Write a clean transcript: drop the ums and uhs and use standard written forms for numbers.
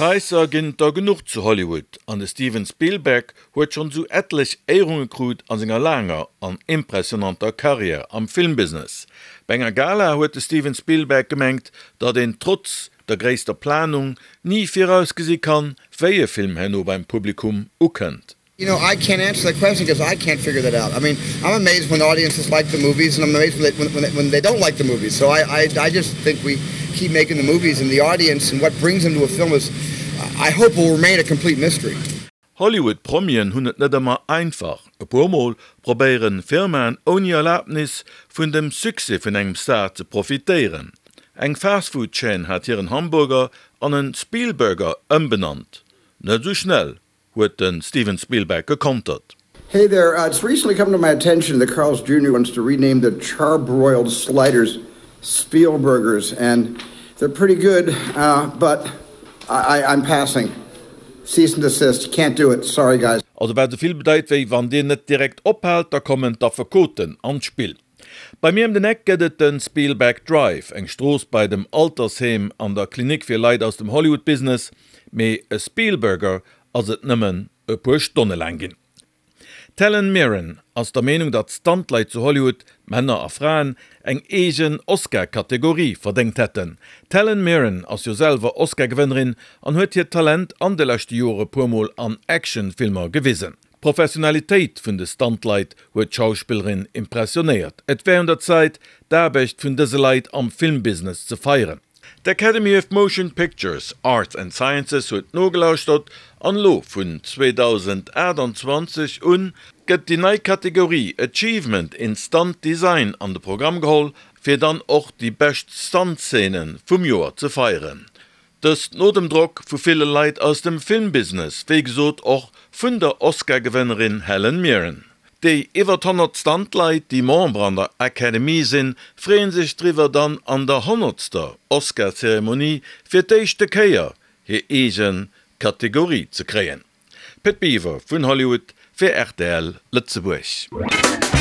Präisser ginn et der genuch zu Hollywood an de Steven Spielberg huet schonn esou etlech Éierunge krut a senger laanger an impressionanter Karriär am Filmbusiness. Bei enger Gala huet de Steven Spielberg gemengt, datt een trotz der gréisster Planung ni virausgesi kann, wéi e Film herno beim Publikum ukënnt. You know, I can't answer that question because I can't figure that out. I mean, I'm amazed when audiences like the movies and I'm amazed when they, when, when they don't like the movies. So I, I, I just think we keep making the movies and the audience and what brings them to a film is, I hope will remain a complete mystery. Hollywood-Promien hunn et net ëmmer einfach. E puer Mol probéieren Firmaen ouni Erlaabnis vun dem Succès vun engem Star ze profitéieren. Eng Fastfood-Chaîne hat hiren Hamburger an en Spielburger ëmbenannt. Net esou schnell, huet de Steven Spielberg gekontert. Hey there, it's recently come to my attention that Carl's Jr. wants to rename the charbroiled sliders Spielburgers and they're pretty good, but I I'm passing. Cease and desist, can't do it, sorry guys. Also wat esou vill bedeit wéi, wann dir net direkt ophaalt, da kommen d'Affekoten an d'Spill. Bei mir ëm den Eck gëtt et de Spielberg Drive, eng Strooss bei dem Altersheem an der Klinik fir Leit aus dem Hollywood-Business, mee e Spielburger ass et nëmmen e puer Stonne laang ginn. D'Helen Mirren ass der Meenung, datt Stuntleit zu Hollywood, Männer a Fraen, eng eegen Oscar-Kategorie verdéngt hätten. D'Helen Mirren ass jo selwer Oscar-Gewënnerin an huet hiert Talent an de leschte Jore puer Mol an Action-Filmer gewisen. D'Professionalitéit vun de Stuntleit huet d'Schauspillerin impressionéiert. Et wär un der Zäit, d'Aarbecht vun dëse Leit am Filmbusiness ze feieren. D'Academy of Motion Pictures Arts and Sciences huet nogelauschtert an elo vun 2028 un gëtt déi nei Kategorie Achievement in Stunt Design an de Programm geholl, fir dann och déi bescht Stunt-Szene vum Joer ze feieren. Dëst no dem Drock vu ville Leit aus dem Filmbusiness, wéi gesot och vun der Oscar-Gewënnerin Helen Mirren. Déi iwwert 100 Stunt-Leit, déi Member an der Academy sinn, freeë sech driwwer, dann an der honnertster Oscar-Zeremonie fir d'éischte Kéier hir eege Kategorie ze kréien. Pit Biwer vun Hollywood fir rtl Lëtzebuerg.